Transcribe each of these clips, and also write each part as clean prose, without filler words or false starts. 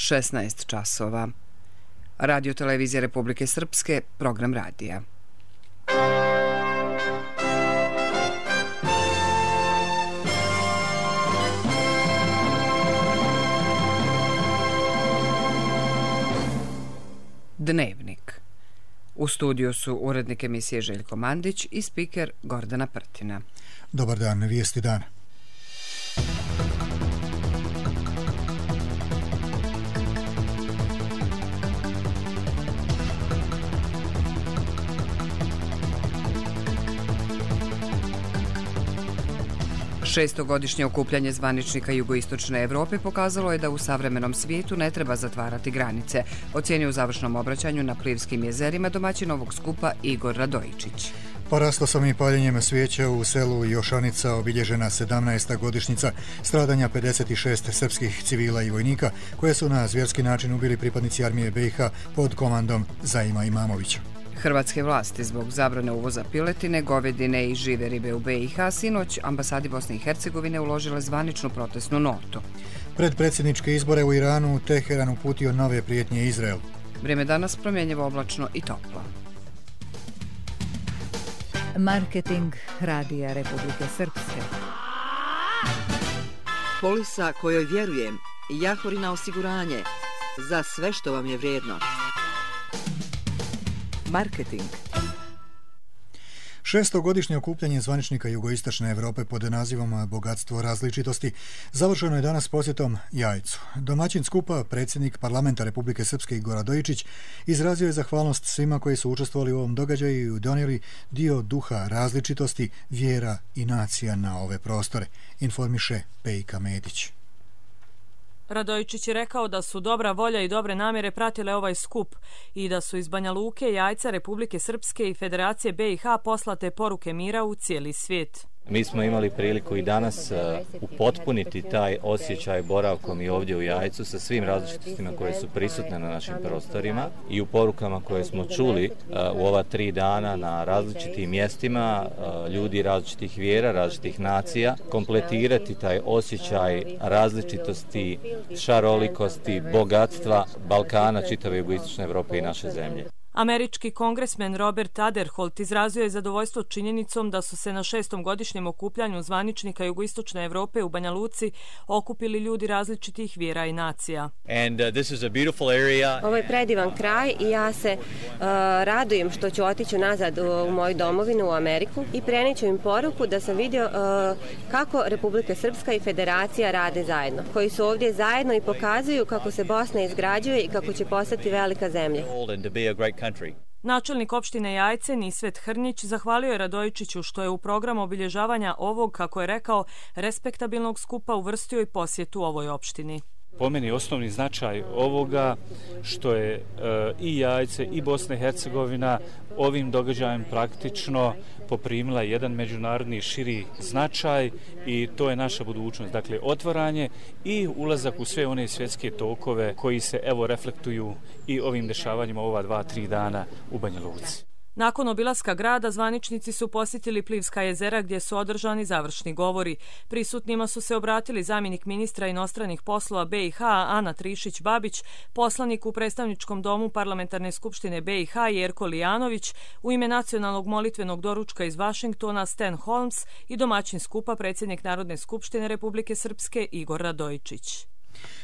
16 časova. Radio televizija Republike Srpske, program radija. Dnevnik. U studiju su urednik emisije Željko Mandić i spiker Gordana Prtina. Dobar dan, vijesti dana. Šestogodišnje okupljanje zvaničnika jugoistočne Evrope pokazalo je da u savremenom svijetu ne treba zatvarati granice, ocjenio u završnom obraćanju na Plivskim jezerima domaćin ovog skupa Igor Radojičić. Poraslo sam i paljenjem svijeća u selu Jošanica obilježena 17. godišnjica stradanja 56 srpskih civila i vojnika koje su na zvjerski način ubili pripadnici armije BiH pod komandom Zaima Imamovića. Hrvatske vlasti zbog zabrane uvoza piletine, govedine i žive ribe u BiH sinoć ambasadi Bosne i Hercegovine uložile zvaničnu protestnu notu. Pred predsjedničke izbore u Iranu Teheran uputio nove prijetnje Izraelu. Vrijeme danas promjenjivo, oblačno i toplo. Marketing Radija Republike Srpske. Polisa kojoj vjerujem, Jahorina osiguranje, za sve što vam je vrijedno. Marketing. Šestogodišnje okupljanje zvaničnika jugoistočne Evrope pod nazivom Bogatstvo različitosti završeno je danas posjetom Jajcu. Domaćin skupa, predsjednik parlamenta Republike Srpske Igor Radojičić, izrazio je zahvalnost svima koji su učestvovali u ovom događaju i donijeli dio duha različitosti, vjera i nacija na ove prostore, informiše Pejka Medić. Radojičić je rekao da su dobra volja i dobre namjere pratile ovaj skup i da su iz Banja Luke, Jajca, Republike Srpske i Federacije BiH poslate poruke mira u cijeli svijet. Mi smo imali priliku i danas upotpuniti taj osjećaj boravkom i ovdje u Jajcu sa svim različitostima koje su prisutne na našim prostorima i u porukama koje smo čuli u ova 3 dana na različitim mjestima, ljudi različitih vjera, različitih nacija, kompletirati taj osjećaj različitosti, šarolikosti, bogatstva Balkana, čitave jugoistočne Evrope i naše zemlje. Američki kongresmen Robert Aderholt izrazio je zadovoljstvo činjenicom da su se na 6. godišnjem okupljanju zvaničnika jugoistočne Evrope u Banja Luci okupili ljudi različitih vjera i nacija. Ovo je predivan kraj i ja se radujem što ću otići nazad u moju domovinu u Ameriku i preniću im poruku da sam vidio kako Republika Srpska i Federacija rade zajedno, koji su ovdje zajedno i pokazuju kako se Bosna izgrađuje i kako će postati velika zemlja. Načelnik opštine Jajce Nisvet Hrnjić zahvalio je Radojičiću što je u program obilježavanja ovog, kako je rekao, respektabilnog skupa uvrstio i posjetu ovoj opštini. Po meni osnovni značaj ovoga što je i Jajce i Bosna i Hercegovina ovim događajem praktično poprimila jedan međunarodni širi značaj i to je naša budućnost. Dakle, otvaranje i ulazak u sve one svjetske tokove koji se evo reflektuju i ovim dešavanjima ova 2-3 dana u Banja Luci. Nakon obilaska grada, zvaničnici su posjetili Plivska jezera gdje su održani završni govori. Prisutnima su se obratili zamjenik ministra inostranih poslova BiH Ana Trišić-Babić, poslanik u predstavničkom domu Parlamentarne skupštine BiH Jerko Lijanović, u ime nacionalnog molitvenog doručka iz Vašingtona Stan Holmes i domaćin skupa predsjednik Narodne skupštine Republike Srpske Igor Radojičić.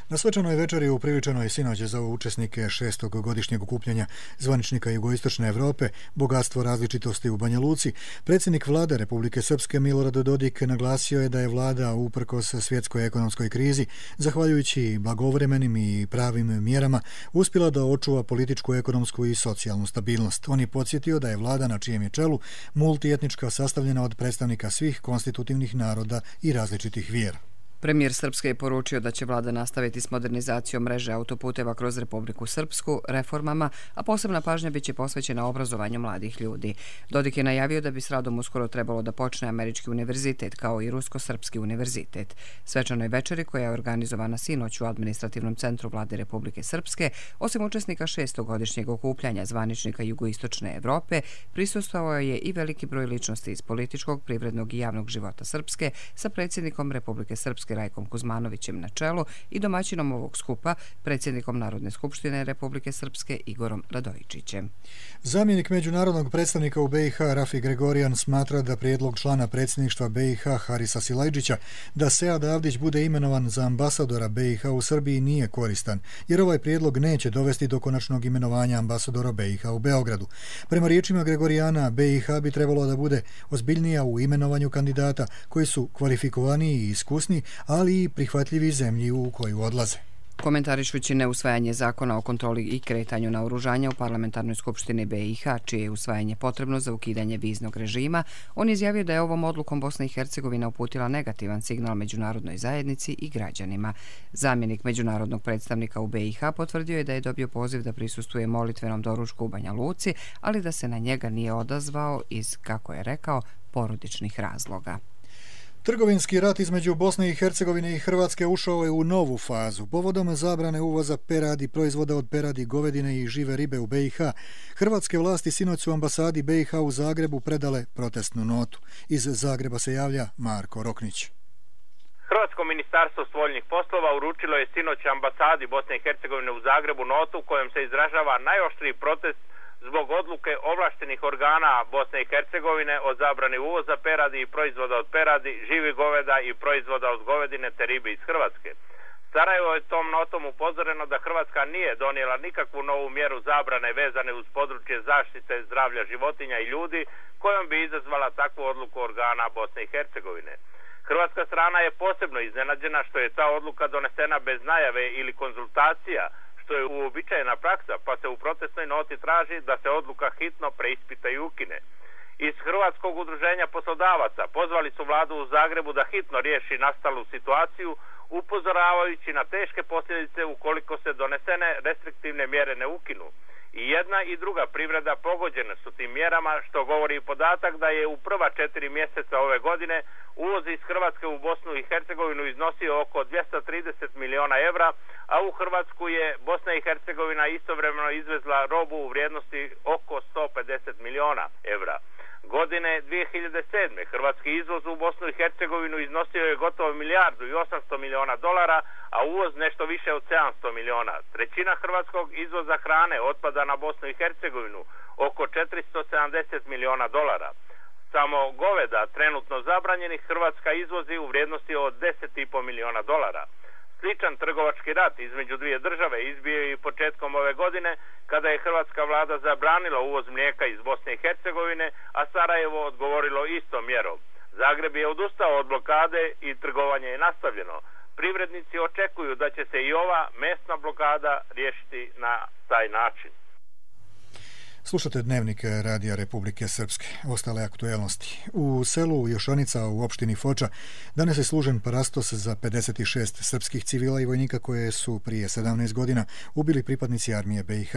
Na svečanoj večeri upriličeno je sinoć za učesnike 6. godišnjeg okupljanja zvaničnika jugoistočne Evrope Bogatstvo različitosti u Banja Luci. Predsjednik vlade Republike Srpske Milorad Dodik naglasio je da je vlada uprkos svjetskoj ekonomskoj krizi, zahvaljujući blagovremenim i pravim mjerama, uspjela da očuva političku, ekonomsku i socijalnu stabilnost. On je podsjetio da je vlada na čijem je čelu multietnička, sastavljena od predstavnika svih konstitutivnih naroda i različitih vjera. Premijer Srpske je poručio da će vlada nastaviti s modernizacijom mreže autoputeva kroz Republiku Srpsku, reformama, a posebna pažnja biće posvećena obrazovanju mladih ljudi. Dodik je najavio da bi s radom uskoro trebalo da počne Američki univerzitet kao i Rusko-Srpski univerzitet. Svečanoj večeri, koja je organizovana sinoć u administrativnom centru vlade Republike Srpske, osim učesnika 6. godišnjeg okupljanja zvaničnika jugoistočne Evrope, prisustvovao je i veliki broj ličnosti iz političkog, privrednog i javnog života Srpske sa predsjednikom Republike Srpske Srpske Rajkom Kuzmanovićem na čelu i domaćinom ovog skupa, predsjednikom Narodne skupštine Republike Srpske Igorom Radojičićem. Zamjenik međunarodnog predstavnika u BiH Rafi Gregorijan smatra da prijedlog člana predsjedništva BiH Harisa Silajdžića da Sead Avdić bude imenovan za ambasadora BiH u Srbiji nije koristan, jer ovaj prijedlog neće dovesti do konačnog imenovanja ambasadora BiH u Beogradu. Prema riječima Gregorijana, BiH bi trebalo da bude ozbiljnija u imenovanju kandidata koji su kvalifikovaniji i iskusni, ali i prihvatljivi zemlji u koju odlaze. Komentarišući neusvajanje zakona o kontroli i kretanju naoružanja u Parlamentarnoj skupštini BiH, čije je usvajanje potrebno za ukidanje viznog režima, on izjavio da je ovom odlukom Bosna i Hercegovina uputila negativan signal međunarodnoj zajednici i građanima. Zamjenik međunarodnog predstavnika u BiH potvrdio je da je dobio poziv da prisustvuje molitvenom doručku u Banja Luci, ali da se na njega nije odazvao iz, kako je rekao, porodičnih razloga. Trgovinski rat između Bosne i Hercegovine i Hrvatske ušao je u novu fazu. Povodom zabrane uvoza peradi, proizvoda od peradi, govedine i žive ribe u BiH, hrvatske vlasti sinoć su ambasadi BiH u Zagrebu predale protestnu notu. Iz Zagreba se javlja Marko Roknić. Hrvatsko ministarstvo spoljnih poslova uručilo je sinoć ambasadi Bosne i Hercegovine u Zagrebu notu kojom se izražava najoštriji protest zbog odluke ovlaštenih organa Bosne i Hercegovine o zabrani uvoza peradi i proizvoda od peradi, živih goveda i proizvoda od govedine te ribe iz Hrvatske. Sarajevo je tom notom upozoreno da Hrvatska nije donijela nikakvu novu mjeru zabrane vezane uz područje zaštite zdravlja životinja i ljudi kojom bi izazvala takvu odluku organa Bosne i Hercegovine. Hrvatska strana je posebno iznenađena što je ta odluka donesena bez najave ili konzultacija, što je uobičajena praksa, pa se u protestnoj noti traži da se odluka hitno preispita i ukine. Iz Hrvatskog udruženja poslodavaca pozvali su vladu u Zagrebu da hitno riješi nastalu situaciju, upozoravajući na teške posljedice ukoliko se donesene restriktivne mjere ne ukinu. I jedna i druga privreda pogođene su tim mjerama, što govori i podatak da je u prva 4 mjeseca ove godine uvoz iz Hrvatske u Bosnu i Hercegovinu iznosio oko 230 miliona evra, a u Hrvatsku je Bosna i Hercegovina istovremeno izvezla robu u vrijednosti oko 150 miliona evra. Godine 2007. hrvatski izvoz u Bosnu i Hercegovinu iznosio je gotovo $1,8 milijardi, a uvoz nešto više od 700 miliona. Trećina hrvatskog izvoza hrane otpada na Bosnu i Hercegovinu, oko $470 miliona. Samo goveda trenutno zabranjenih Hrvatska izvozi u vrijednosti od $10,5 miliona. Sličan trgovački rat između dvije države izbio je i početkom ove godine, kada je hrvatska vlada zabranila uvoz mlijeka iz Bosne i Hercegovine, a Sarajevo odgovorilo istom mjerom. Zagreb je odustao od blokade i trgovanje je nastavljeno. Privrednici očekuju da će se i ova mesna blokada riješiti na taj način. Slušate Dnevnik Radija Republike Srpske. Ostale aktuelnosti. U selu Jošanica u opštini Foča danas je služen parastos za 56 srpskih civila i vojnika koje su prije 17 godina ubili pripadnici armije BiH.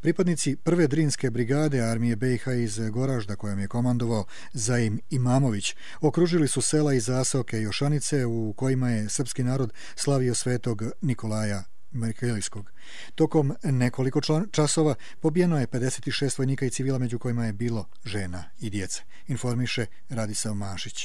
Pripadnici prve Drinske brigade armije BiH iz Goražda, kojom je komandovao Zaim Imamović, okružili su sela i zaseoke Jošanice u kojima je srpski narod slavio svetog Nikolaja Merkelijskog. Tokom nekoliko časova pobijeno je 56 vojnika i civila, među kojima je bilo žena i djece. Informiše Radislav Mašić.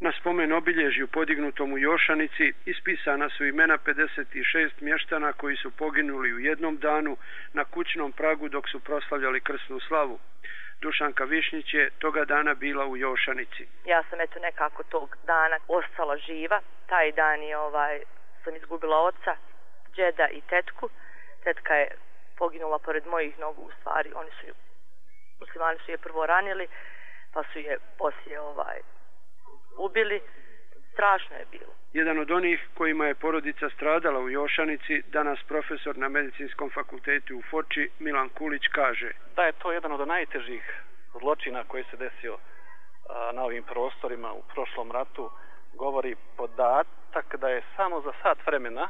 Na spomen obilježju podignutom u Jošanici ispisana su imena 56 mještana koji su poginuli u jednom danu na kućnom pragu dok su proslavljali krsnu slavu. Dušanka Višnjić je toga dana bila u Jošanici. Ja sam nekako tog dana ostala živa. Taj dan je sam izgubila oca, džeda i tetku. Tetka je poginula pored mojih nogu, u stvari muslimani su je prvo ranili, pa su je poslije ubili. Strašno je bilo. Jedan od onih kojima je porodica stradala u Jošanici, danas profesor na Medicinskom fakultetu u Foči, Milan Kulić, kaže da je to jedan od najtežih zločina koji se desio na ovim prostorima u prošlom ratu. Govori podatak da je samo za sat vremena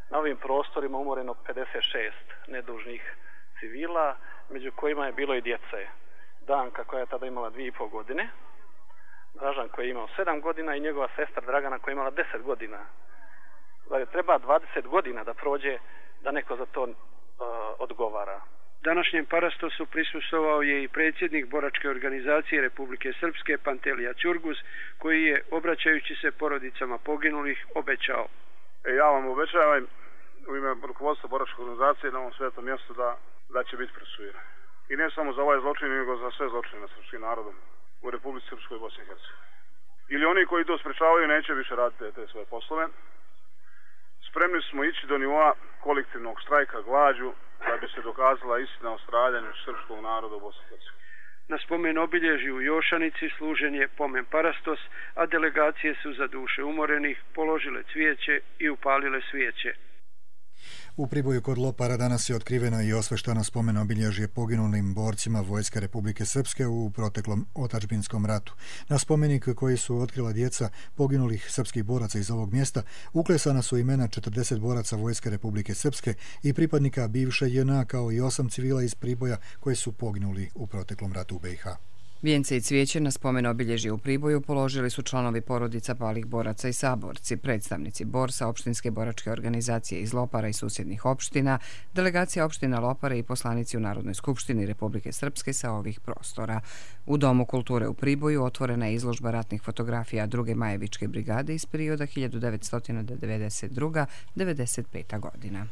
na ovim prostorima umoreno 56 nedužnih civila, među kojima je bilo i djece. Danka, koja je tada imala 2,5 godine, Dražan koji je imao 7 godina i njegova sestra Dragana koja je imala 10 godina. Znači, treba 20 godina da prođe da neko za to odgovara. Današnjem parastosu prisustvovao je i predsjednik boračke organizacije Republike Srpske Pantelija Ćurguz, koji je, obraćajući se porodicama poginulih, obećao. Ja vam obećavam u ime rukovodstva boračke organizacije na ovom svetom mjestu da će biti procesuiran. I ne samo za ovaj zločin, nego za sve zločine nad srpskim narodom u Republici Srpskoj i Bosni i Hercegovini. Ili oni koji to sprečavaju neće više raditi te svoje poslove. Spremni smo ići do nivoa kolektivnog štrajka glađu da bi se dokazala istina o stradanju srpskog naroda u Bosni i Hercegovini. Na spomen obilježju u Jošanici služen je pomen parastos, a delegacije su za duše umorenih položile cvijeće i upalile svijeće. U Priboju kod Lopara danas je otkriveno i osveštano spomen obilježje poginulim borcima Vojske Republike Srpske u proteklom otadžbinskom ratu. Na spomenik koji su otkrila djeca poginulih srpskih boraca iz ovog mjesta uklesana su imena 40 boraca Vojske Republike Srpske i pripadnika bivše JNA kao i 8 civila iz Priboja koji su poginuli u proteklom ratu u BiH. Vijence i cvijeće na spomen obilježje u Priboju položili su članovi porodica palih boraca i saborci, predstavnici Borsa, opštinske boračke organizacije iz Lopara i susjednih opština, delegacija opština Lopara i poslanici u Narodnoj skupštini Republike Srpske sa ovih prostora. U Domu kulture u Priboju otvorena je izložba ratnih fotografija 2. Majevičke brigade iz perioda 1992-95. godina.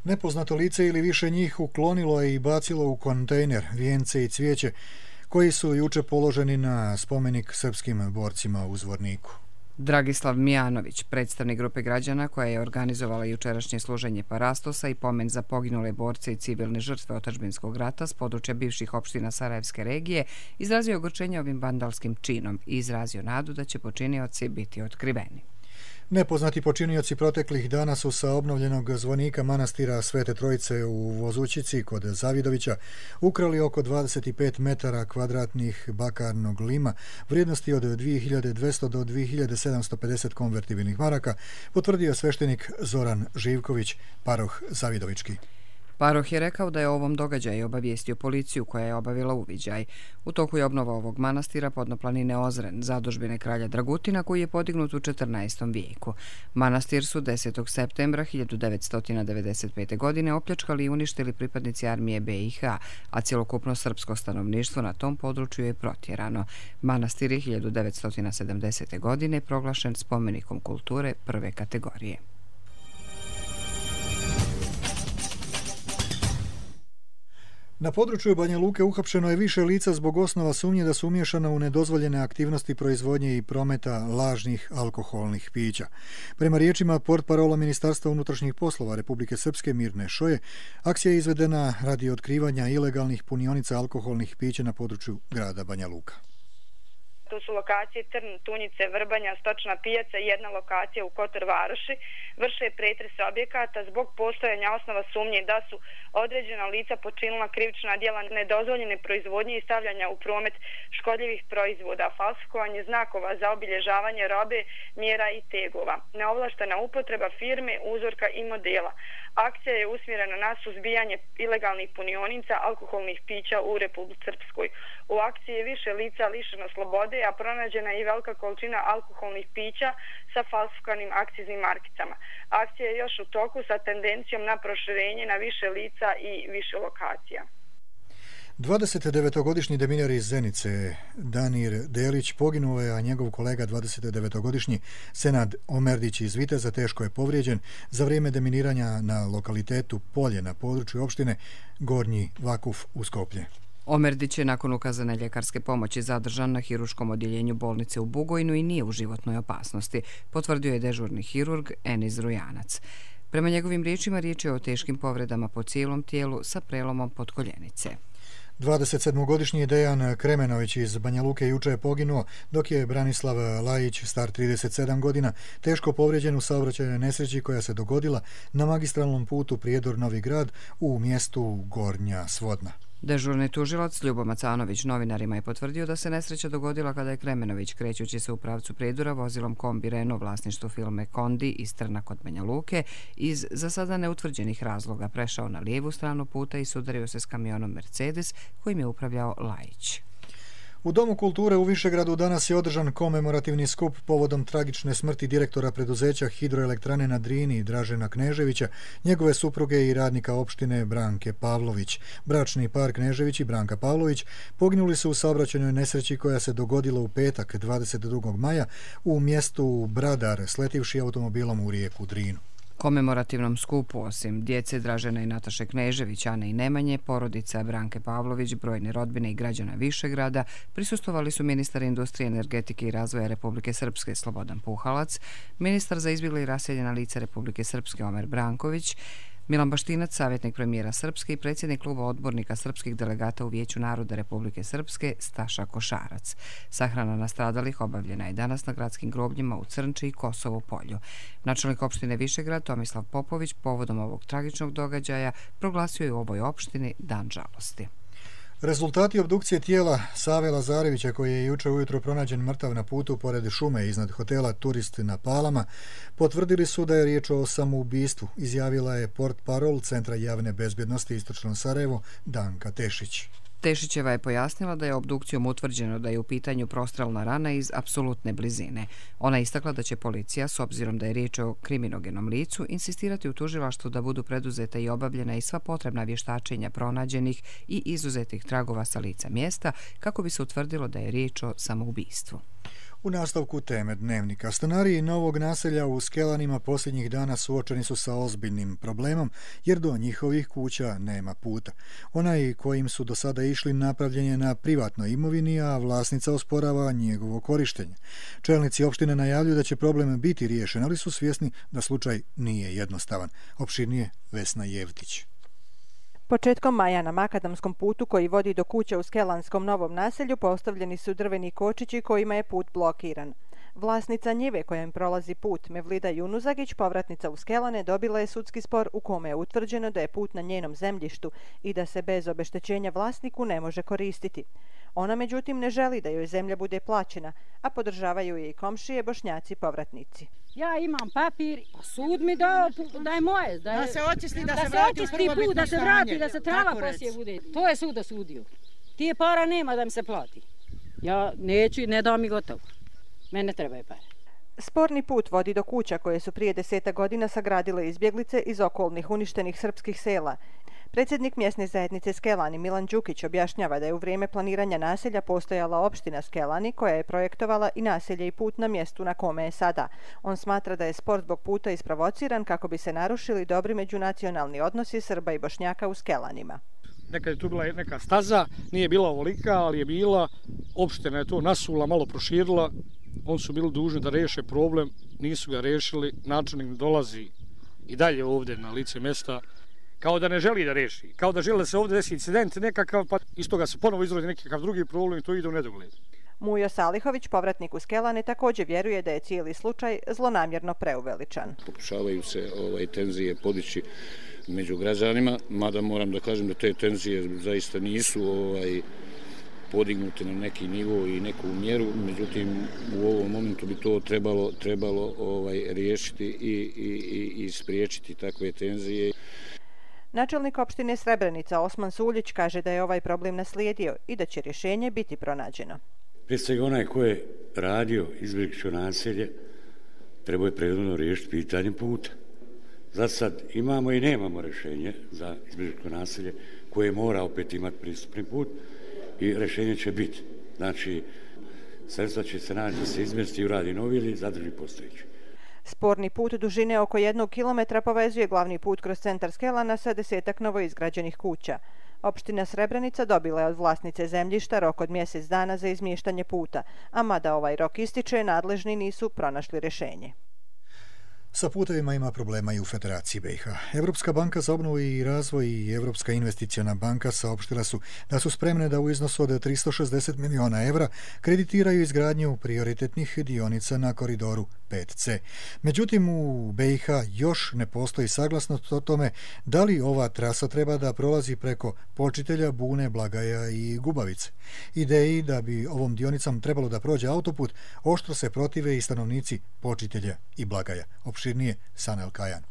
Nepoznato lice ili više njih uklonilo je i bacilo u kontejner vijence i cvijeće koji su juče položeni na spomenik srpskim borcima u Zvorniku. Dragislav Mijanović, predstavnik grupe građana koja je organizovala jučerašnje služenje parastosa i pomen za poginule borce i civilne žrtve otadžbinskog rata s područja bivših opština Sarajevske regije, izrazio ogorčenje ovim vandalskim činom i izrazio nadu da će počinioci biti otkriveni. Nepoznati počinioci proteklih dana su sa obnovljenog zvonika manastira Svete Trojice u Vozućici kod Zavidovića ukrali oko 25 metara kvadratnih bakarnog lima vrijednosti od 2200 do 2750 konvertibilnih maraka, potvrdio sveštenik Zoran Živković, paroh Zavidovički. Paroh je rekao da je o ovom događaju obavijestio policiju koja je obavila uviđaj. U toku je obnova ovog manastira podnoplanine Ozren, zadužbine kralja Dragutina koji je podignut u 14. vijeku. Manastir su 10. septembra 1995. godine opljačkali i uništili pripadnici armije BiH, a cjelokupno srpsko stanovništvo na tom području je protjerano. Manastir je 1970. godine proglašen spomenikom kulture prve kategorije. Na području Banja Luke uhapšeno je više lica zbog osnova sumnje da su umiješana u nedozvoljene aktivnosti proizvodnje i prometa lažnih alkoholnih pića. Prema riječima portparola Ministarstva unutrašnjih poslova Republike Srpske Mirne Šoje, akcija je izvedena radi otkrivanja ilegalnih punionica alkoholnih pića na području grada Banja Luka. Tu su lokacije Trn, Tunjice, Vrbanja, Stočna pijaca i jedna lokacija u Kotor Varoši. Vrše pretres objekata zbog postojanja osnova sumnje da su određena lica počinila krivična djela nedozvoljene proizvodnje i stavljanja u promet škodljivih proizvoda, falsifikovanje znakova za obilježavanje robe, mjera i tegova, neovlaštena upotreba firme, uzorka i modela. Akcija je usmjerena na suzbijanje ilegalnih punionica alkoholnih pića u Republici Srpskoj. U akciji je više lica lišeno slobode, a pronađena je i velika količina alkoholnih pića sa falsifikovanim akciznim markicama. Akcija je još u toku sa tendencijom na proširenje na više lica i više lokacija. 29-godišnji deminar iz Zenice, Danir Delić, poginuo je, a njegov kolega 29-godišnji Senad Omerdić iz Viteza teško je povrijeđen za vrijeme deminiranja na lokalitetu Polje na području opštine Gornji Vakuf u Skoplje. Omerdić je nakon ukazane ljekarske pomoći zadržan na hiruškom odjeljenju bolnice u Bugojnu i nije u životnoj opasnosti, potvrdio je dežurni hirurg Eniz Rujanac. Prema njegovim riječima riječ je o teškim povredama po cijelom tijelu sa prelomom potkoljenice. 27-godišnji Dejan Kremenović iz Banja Luke juče je poginuo, dok je Branislav Lajić, star 37 godina, teško povrijeđen u saobraćajnoj nesreći koja se dogodila na magistralnom putu Prijedor-Novi Grad u mjestu Gornja Svodna. Dežurni tužilac Ljubo Macanović novinarima je potvrdio da se nesreća dogodila kada je Kremenović, krećući se u pravcu Prijedora vozilom kombi Renault vlasništvo firme Kondi iz Trna kod Banja Luke, iz za sada neutvrđenih razloga prešao na lijevu stranu puta i sudario se s kamionom Mercedes kojim je upravljao Lajić. U Domu kulture u Višegradu danas je održan komemorativni skup povodom tragične smrti direktora preduzeća Hidroelektrane na Drini Dražena Kneževića, njegove supruge i radnika opštine Branke Pavlović. Bračni par Knežević i Branka Pavlović poginuli su u saobraćajnoj nesreći koja se dogodila u petak 22. maja u mjestu Bradar, sletivši automobilom u rijeku Drinu. Komemorativnom skupu, osim djece Dražena i Nataše Knežević, Ane i Nemanje, porodica Branke Pavlović, brojne rodbine i građana Višegrada, prisustvovali su ministar industrije, energetike i razvoja Republike Srpske Slobodan Puhalac, ministar za izbjegla i raseljena lica Republike Srpske Omer Branković, Milan Baštinac, savjetnik premijera Srpske i predsjednik kluba odbornika srpskih delegata u Vijeću naroda Republike Srpske Staša Košarac. Sahrana nastradalih obavljena je danas na gradskim grobljima u Crnči i Kosovo polju. Načelnik opštine Višegrad Tomislav Popović povodom ovog tragičnog događaja proglasio je u ovoj opštini dan žalosti. Rezultati obdukcije tijela Save Lazarevića, koji je jučer ujutro pronađen mrtav na putu pored šume iznad hotela Turist na Palama, potvrdili su da je riječ o samoubistvu, izjavila je portparol Centra javne bezbjednosti Istočno Sarajevo Danka Tešić. Tešićeva je pojasnila da je obdukcijom utvrđeno da je u pitanju prostrelna rana iz apsolutne blizine. Ona je istakla da će policija, s obzirom da je riječ o kriminogenom licu, insistirati u tužilaštvu da budu preduzeta i obavljena i sva potrebna vještačenja pronađenih i izuzetih tragova sa lica mjesta kako bi se utvrdilo da je riječ o samoubistvu. U nastavku teme dnevnika, stanari novog naselja u Skelanima posljednjih dana suočeni su sa ozbiljnim problemom jer do njihovih kuća nema puta. Onaj kojim su do sada išli napravljen je na privatnoj imovini, a vlasnica osporava njegovo korištenje. Čelnici opštine najavljuju da će problem biti riješen, ali su svjesni da slučaj nije jednostavan. Opširnije Vesna Jevtić. Početkom maja na makadamskom putu koji vodi do kuća u Skelanskom novom naselju postavljeni su drveni kočići kojima je put blokiran. Vlasnica njive kojom prolazi put, Mevlida Junuzagić, povratnica u Skelane, dobila je sudski spor u kome je utvrđeno da je put na njenom zemljištu i da se bez obeštećenja vlasniku ne može koristiti. Ona međutim ne želi da joj zemlja bude plaćena, a podržavaju je i komšije Bošnjaci povratnici. Ja imam papir, sud mi dao da je moje, da se očisti, da se vrati put, da se vrati, da se trava poslije bude. To je sud osudio. Tije para nema da mi se plati. Ja neću i ne dao mi gotovo. Mene trebaju pare. Sporni put vodi do kuća koje su prije 10 godina sagradile izbjeglice iz okolnih uništenih srpskih sela. Predsjednik mjesne zajednice Skelani Milan Đukić objašnjava da je u vrijeme planiranja naselja postojala opština Skelani koja je projektovala i naselje i put na mjestu na kome je sada. On smatra da je spor zbog puta isprovociran kako bi se narušili dobri međunacionalni odnosi Srba i Bošnjaka u Skelanima. Nekad je tu bila neka staza, nije bila ovolika, ali je bila, opština je to nasula, malo proširila, oni su bili dužni da reše problem, nisu ga rešili, načelnik dolazi i dalje ovdje na lice mjesta, kao da ne želi da reši, kao da žele da se ovdje desi incident nekakav, pa iz toga se ponovo izrodi nekakav drugi problem i to ide u nedogled. Mujo Salihović, povratnik u Skelane, također vjeruje da je cijeli slučaj zlonamjerno preuveličan. Pokušavaju se tenzije podići među građanima, mada moram da kažem da te tenzije zaista nisu podignuti na neki nivo i neku mjeru, međutim u ovom momentu bi to trebalo riješiti i spriječiti takve tenzije. Načelnik opštine Srebrenica Osman Suljić kaže da je ovaj problem naslijedio i da će rješenje biti pronađeno. Prije svega onaj ko je radio izbjegličko naselje trebao je prethodno riješiti pitanje puta. Za sad imamo i nemamo rješenje za izbjegličko naselje koje mora opet imati pristupni put i rješenje će biti. Znači, sredstva će se naći da se izmjesti i uradi novi ili zadrži postojeći. Sporni put dužine oko 1 kilometra povezuje glavni put kroz centar Skelana sa 10 novoizgrađenih kuća. Opština Srebrenica dobila je od vlasnice zemljišta rok od mjesec dana za izmještanje puta, a mada ovaj rok ističe, nadležni nisu pronašli rješenje. Sa putevima ima problema i u Federaciji BiH. Evropska banka za obnovu i razvoj i Evropska investiciona banka saopštila su da su spremne da u iznosu od 360 miliona evra kreditiraju izgradnju prioritetnih dionica na koridoru 5C. Međutim, u BiH još ne postoji saglasnost o tome da li ova trasa treba da prolazi preko Počitelja, Bune, Blagaja i Gubavice. Ideji da bi ovom dionicom trebalo da prođe autoput oštro se protive i stanovnici Počitelja i Blagaja. Opširnije Sanel Kajan.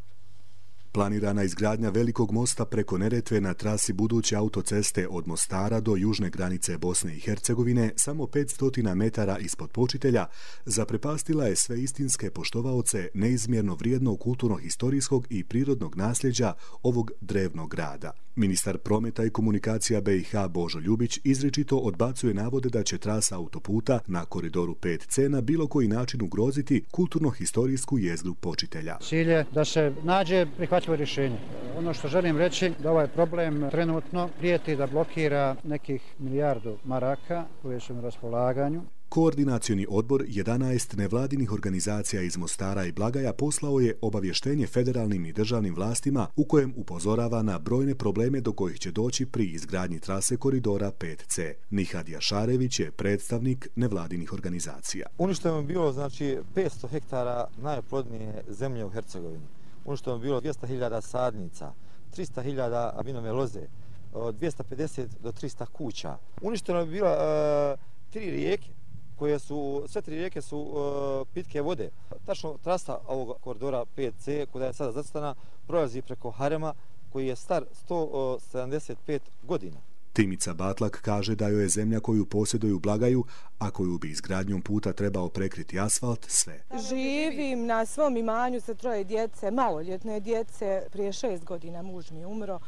Planirana izgradnja velikog mosta preko Neretve na trasi buduće autoceste od Mostara do južne granice Bosne i Hercegovine, samo 500 metara ispod počitelja, zaprepastila je sve istinske poštovaoce neizmjerno vrijednog kulturno-historijskog i prirodnog nasljeđa ovog drevnog grada. Ministar prometa i komunikacija BiH Božo Ljubić izričito odbacuje navode da će trasa autoputa na koridoru 5C na bilo koji način ugroziti kulturno-historijsku jezgru počitelja. Cilj je da se nađe prihvatljivo rješenje. Ono što želim reći da ovaj problem trenutno prijeti da blokira nekih milijardu maraka koje su na raspolaganju. Koordinacioni odbor 11 nevladinih organizacija iz Mostara i Blagaja poslao je obavještenje federalnim i državnim vlastima u kojem upozorava na brojne probleme do kojih će doći pri izgradnji trase koridora 5C. Nihad Jašarević je predstavnik nevladinih organizacija. Uništeno je bilo 500 hektara najplodnije zemlje u Hercegovini. Uništeno je bilo 200.000 sadnica, 300.000 vinove loze, od 250 do 300 kuća. Uništeno je bilo 3 rijeke, sve 3 rijeke su pitke vode. Tačno trasa ovog koridora 5C, koja je sada zacrtana, prolazi preko harema koji je star 175 godina. Timica Batlak kaže da joj je zemlja koju posjeduju Blagaju, a koju bi izgradnjom puta trebao prekriti asfalt, sve. Živim na svom imanju sa 3 djece, maloljetne djece. Prije 6 godina muž mi je umro.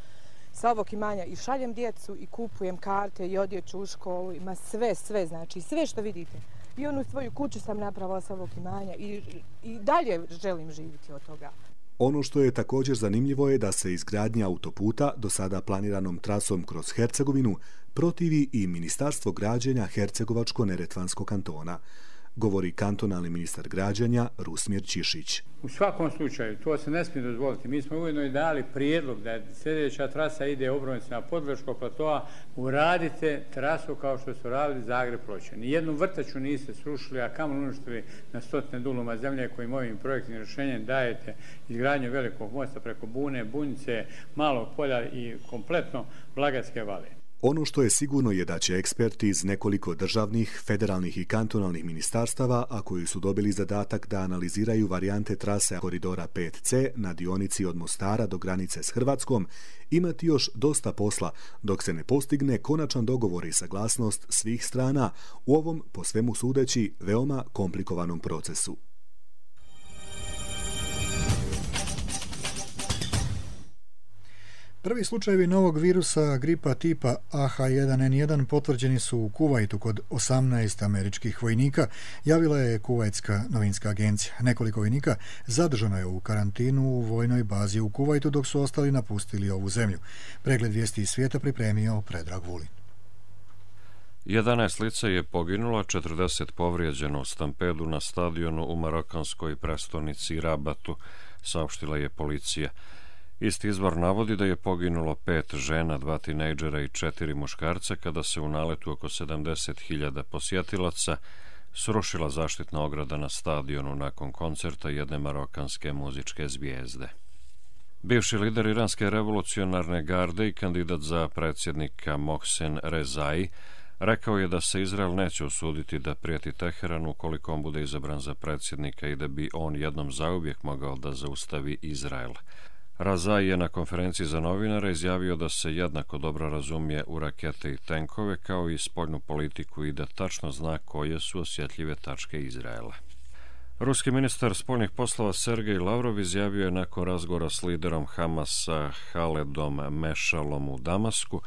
Sa ovog imanja i šaljem djecu i kupujem karte i odjeću u školu, ima sve, znači sve što vidite. I onu svoju kuću sam napravila sa ovog imanja i dalje želim živjeti od toga. Ono što je također zanimljivo je da se izgradnja autoputa do sada planiranom trasom kroz Hercegovinu protivi i Ministarstvo građenja Hercegovačko-Neretvanskog kantona, govori kantonalni ministar građenja Rusmir Čišić. U svakom slučaju, to se ne smije dozvoliti. Mi smo ujedno i dali prijedlog da sljedeća trasa ide obronicama Podvrškog platoa, uradite trasu kao što su radili Zagreb-Ploče. Nijednu vrtaču niste srušili, a kamo uništili na 100 duluma zemlje kojim ovim projektnim rješenjem dajete izgradnju velikog mosta preko Bune, Bunjice, Malog polja i kompletno Blagatske vale. Ono što je sigurno je da će eksperti iz nekoliko državnih, federalnih i kantonalnih ministarstava, a koji su dobili zadatak da analiziraju varijante trase koridora 5C na dionici od Mostara do granice s Hrvatskom, imati još dosta posla dok se ne postigne konačan dogovor i saglasnost svih strana u ovom, po svemu sudeći, veoma komplikovanom procesu. Prvi slučajevi novog virusa gripa tipa AH1N1 potvrđeni su u Kuvajtu kod 18 američkih vojnika, javila je Kuvajtska novinska agencija. Nekoliko vojnika zadržano je u karantinu u vojnoj bazi u Kuvajtu dok su ostali napustili ovu zemlju. Pregled vijesti iz svijeta pripremio Predrag Vulin. 11 lica je poginulo, 40 povrijeđeno u stampedu na stadionu u marokanskoj prestonici Rabatu, saopštila je policija. Isti izvor navodi da je poginulo 5 žena, 2 tinejdžera i 4 muškarca kada se u naletu oko 70.000 posjetilaca srušila zaštitna ograda na stadionu nakon koncerta jedne marokanske muzičke zvijezde. Bivši lider iranske revolucionarne garde i kandidat za predsjednika Mohsen Rezai rekao je da se Izrael neće usuditi da prijeti Teheranu ukoliko on bude izabran za predsjednika i da bi on jednom zauvijek mogao da zaustavi Izrael. Razai je na konferenciji za novinare izjavio da se jednako dobro razumije u rakete i tenkove kao i spoljnu politiku i da tačno zna koje su osjetljive tačke Izraela. Ruski ministar spoljnih poslova Sergej Lavrov izjavio je nakon razgovora s liderom Hamasa Haledom Mešalom u Damasku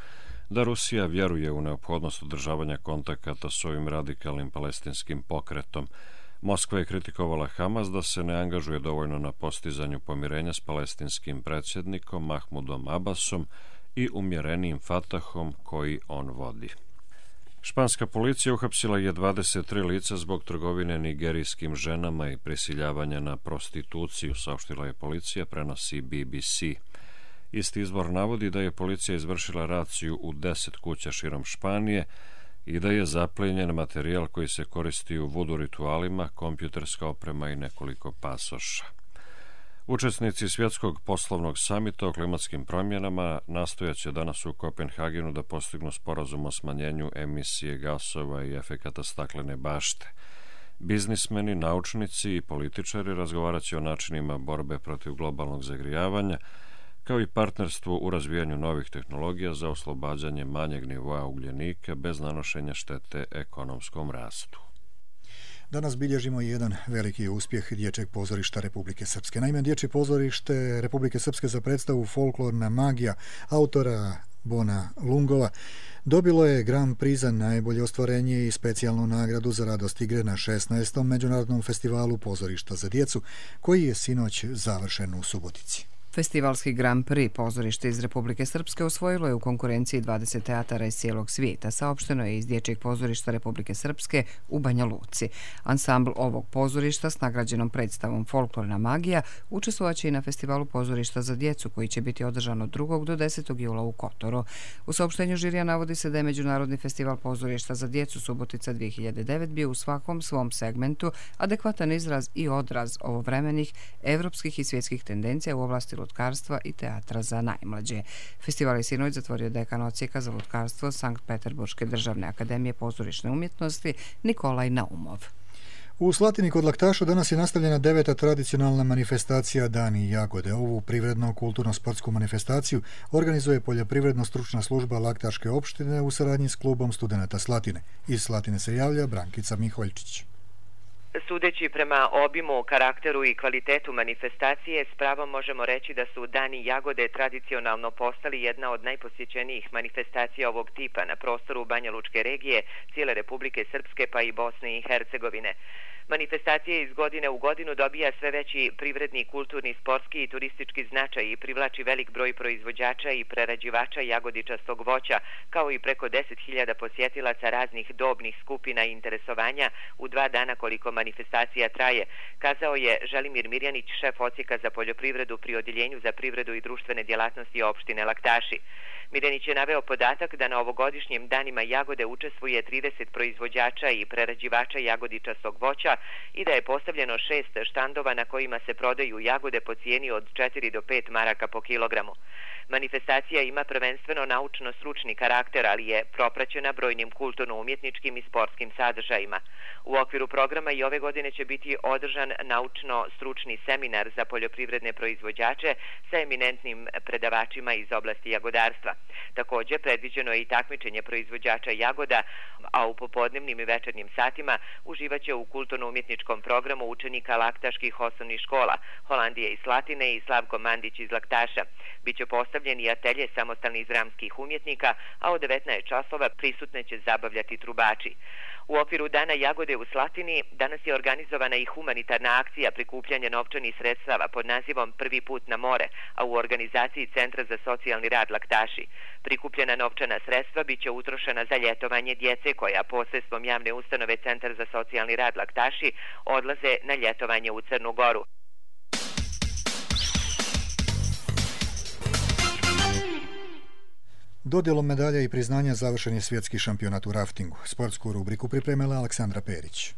da Rusija vjeruje u neophodnost održavanja kontakata s ovim radikalnim palestinskim pokretom. Moskva je kritikovala Hamas da se ne angažuje dovoljno na postizanju pomirenja s palestinskim predsjednikom Mahmudom Abbasom i umjerenijim Fatahom koji on vodi. Španska policija uhapsila je 23 lica zbog trgovine nigerijskim ženama i prisiljavanja na prostituciju, saopštila je policija, prenosi BBC. Isti izvor navodi da je policija izvršila raciju u 10 kuća širom Španije i da je zaplijenjen materijal koji se koristi u vudu ritualima, kompjuterska oprema i nekoliko pasoša. Učesnici svjetskog poslovnog samita o klimatskim promjenama nastojaće danas u Kopenhagenu da postignu sporazum o smanjenju emisije gasova i efekata staklene bašte. Biznismeni, naučnici i političari razgovarat će o načinima borbe protiv globalnog zagrijavanja, kao i partnerstvo u razvijanju novih tehnologija za oslobađanje manjeg nivoa ugljenika bez nanošenja štete ekonomskom rastu. Danas bilježimo jedan veliki uspjeh Dječjeg pozorišta Republike Srpske. Naime, Dječje pozorište Republike Srpske za predstavu Folklorna magija autora Bona Lungova dobilo je Grand Prix za najbolje ostvarenje i specijalnu nagradu za radost igre na 16. Međunarodnom festivalu pozorišta za djecu, koji je sinoć završen u Subotici. Festivalski Grand Prix pozorište iz Republike Srpske osvojilo je u konkurenciji 20 teatara iz cijelog svijeta, saopšteno je iz Dječjeg pozorišta Republike Srpske u Banja Luci. Ansambl ovog pozorišta s nagrađenom predstavom Folklorna magija učestvovaće i na festivalu pozorišta za djecu koji će biti održan od 2. do 10. jula u Kotoru. U saopštenju žirija navodi se da je Međunarodni festival pozorišta za djecu Subotica 2009 bio u svakom svom segmentu adekvatan izraz i odraz ovovremenih evropskih i svjetskih tendencija u oblasti lutkarstva i teatra za najmlađe. Festival je sinoć zatvorio dekan odsjeka za lutkarstvo Sankt Peterburške državne akademije pozorišne umjetnosti Nikolaj Naumov. U Slatini kod Laktaša danas je nastavljena 9. tradicionalna manifestacija Dani jagode. Ovu privredno-kulturno-sportsku manifestaciju organizuje Poljoprivredno-stručna služba Laktaške opštine u saradnji s klubom studenata Slatine. Iz Slatine se javlja Brankica Miholjčić. Sudeći prema obimu, karakteru i kvalitetu manifestacije, s pravom možemo reći da su Dani jagode tradicionalno postali jedna od najposjećenijih manifestacija ovog tipa na prostoru Banja Lučke regije, cijele Republike Srpske pa i Bosne i Hercegovine. Manifestacija iz godine u godinu dobija sve veći privredni, kulturni, sportski i turistički značaj i privlači velik broj proizvođača i prerađivača jagodičastog voća, kao i preko 10.000 posjetilaca raznih dobnih skupina i interesovanja u 2 dana koliko manifestacija traje, kazao je Želimir Mirjanić, šef odsjeka za poljoprivredu pri Odjeljenju za privredu i društvene djelatnosti opštine Laktaši. Mirjanić je naveo podatak da na ovogodišnjim danima jagode učestvuje 30 proizvođača i prerađivača jagodičastog voća i da je postavljeno 6 štandova na kojima se prodaju jagode po cijeni od 4 do 5 maraka po kilogramu. Manifestacija ima prvenstveno naučno-stručni karakter, ali je propraćena brojnim kulturno-umjetničkim i sportskim sadržajima. U okviru programa i ove godine će biti održan naučno-stručni seminar za poljoprivredne proizvođače sa eminentnim predavačima iz oblasti jagodarstva. Također, predviđeno je i takmičenje proizvođača jagoda, a u popodnevnim i večernjim satima uživaće u kulturno-umjetničkom programu učenika laktaških osnovnih škola, Holandije iz Slatine i Slavko Mandić iz Laktaša. Biće postavljen i atelje samostalnih dramskih umjetnika, a od 19 časova prisutne će zabavljati trubači. U okviru Dana jagode u Slatini danas je organizovana i humanitarna akcija prikupljanja novčanih sredstava pod nazivom Prvi put na more, a u organizaciji Centra za socijalni rad Laktaši. Prikupljena novčana sredstva biće utrošena za ljetovanje djece koja posredstvom javne ustanove Centar za socijalni rad Laktaši odlaze na ljetovanje u Crnu Goru. Dodjelom medalja i priznanja završen je svjetski šampionat u raftingu. Sportsku rubriku pripremila Aleksandra Perić.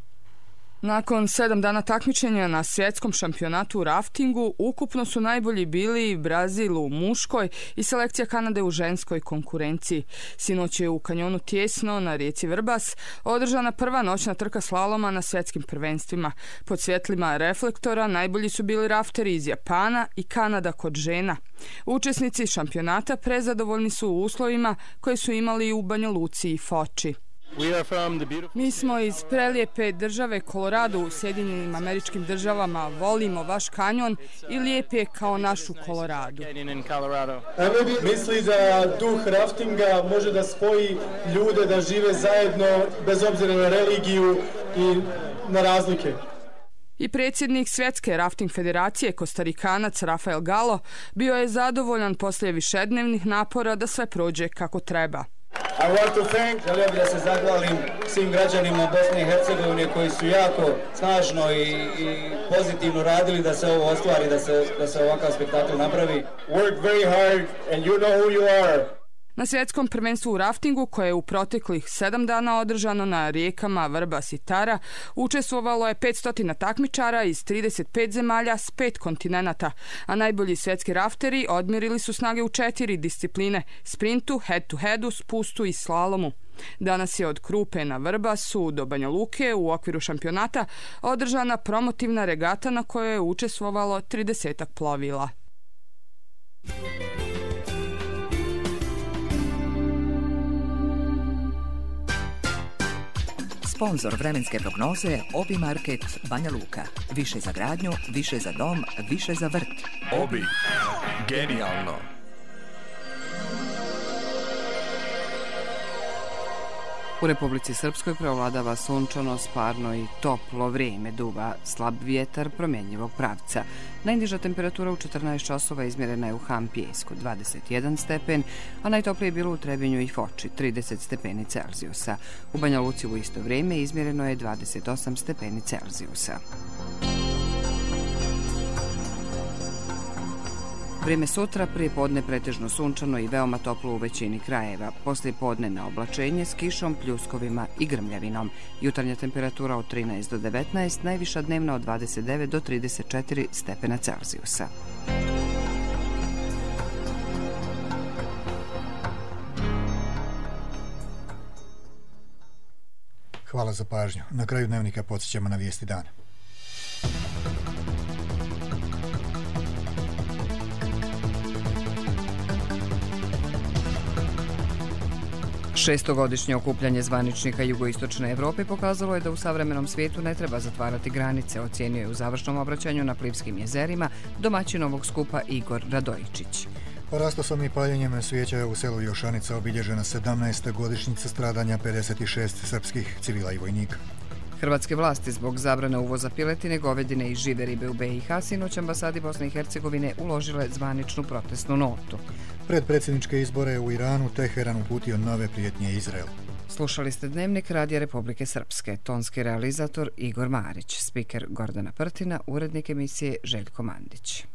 Nakon 7 dana takmičenja na svjetskom šampionatu u raftingu, ukupno su najbolji bili Brazil u muškoj i selekcija Kanade u ženskoj konkurenciji. Sinoć je u kanjonu Tijesno na rijeci Vrbas održana prva noćna trka slaloma na svjetskim prvenstvima. Pod svjetlima reflektora najbolji su bili rafteri iz Japana i Kanada kod žena. Učesnici šampionata prezadovoljni su u uslovima koje su imali u Banja Luci i Foči. Mi smo iz prelijepe države Kolorado u Sjedinjenim Američkim Državama, volimo vaš kanjon i lijep je kao našu Koloradu. Misli da duh raftinga može da spoji ljude da žive zajedno bez obzira na religiju i na razlike. I predsjednik Svjetske rafting federacije, Kostarikanac Rafael Galo, bio je zadovoljan poslije višednevnih napora da sve prođe kako treba. Želio bih da se zahvalim svim građanima Bosne i Hercegovine koji su jako snažno i pozitivno radili da se ovo ostvari, da se ovakav spektakl napravi. Work very hard and you know who you are. Na svjetskom prvenstvu u raftingu, koje je u proteklih 7 dana održano na rijekama Vrbas i Tara, učestvovalo je 500 takmičara iz 35 zemalja s 5 kontinenata, a najbolji svjetski rafteri odmjerili su snage u 4 discipline: sprintu, head-to-headu, spustu i slalomu. Danas je od Krupe na Vrbasu do Banja Luke u okviru šampionata održana promotivna regata na kojoj je učestvovalo 30 plovila. Sponzor vremenske prognoze Obi Market Banja Luka. Više za gradnju, više za dom, više za vrt. Obi. Genijalno. U Republici Srpskoj preovladava sunčano, sparno i toplo vrijeme, duva slab vjetar promjenjivog pravca. Najniža temperatura u 14 časova izmjerena je u Hampijesku 21 stepen, a najtoplije je bilo u Trebinju i Foči 30 stepeni Celzijusa. U Banja Luci u isto vrijeme izmjereno je 28 stepeni Celzijusa. Vrijeme sutra, prije podne pretežno sunčano i veoma toplo u većini krajeva. Poslije podne na oblačenje s kišom, pljuskovima i grmljavinom. Jutarnja temperatura od 13 do 19, najviša dnevna od 29 do 34 stepena Celzijusa. Hvala za pažnju. Na kraju dnevnika podsjećamo na vijesti dana. Šestogodišnje okupljanje zvaničnika Jugoistočne Evrope pokazalo je da u savremenom svijetu ne treba zatvarati granice, ocijenio je u završnom obraćanju na Plivskim jezerima domaćin ovog skupa Igor Radojičić. Rastosom i paljenjem svijeća u selu Jošanica obilježena 17. godišnjica stradanja 56 srpskih civila i vojnika. Hrvatske vlasti zbog zabrane uvoza piletine, govedine i žive ribe u BiH sinoć ambasadi Bosne i Hercegovine uložile zvaničnu protestnu notu. Pred predsjedničke izbore u Iranu Teheran uputio nove prijetnje Izraelu. Slušali ste Dnevnik Radija Republike Srpske, tonski realizator Igor Marić, spiker Gordana Prtina, urednik emisije Željko Mandić.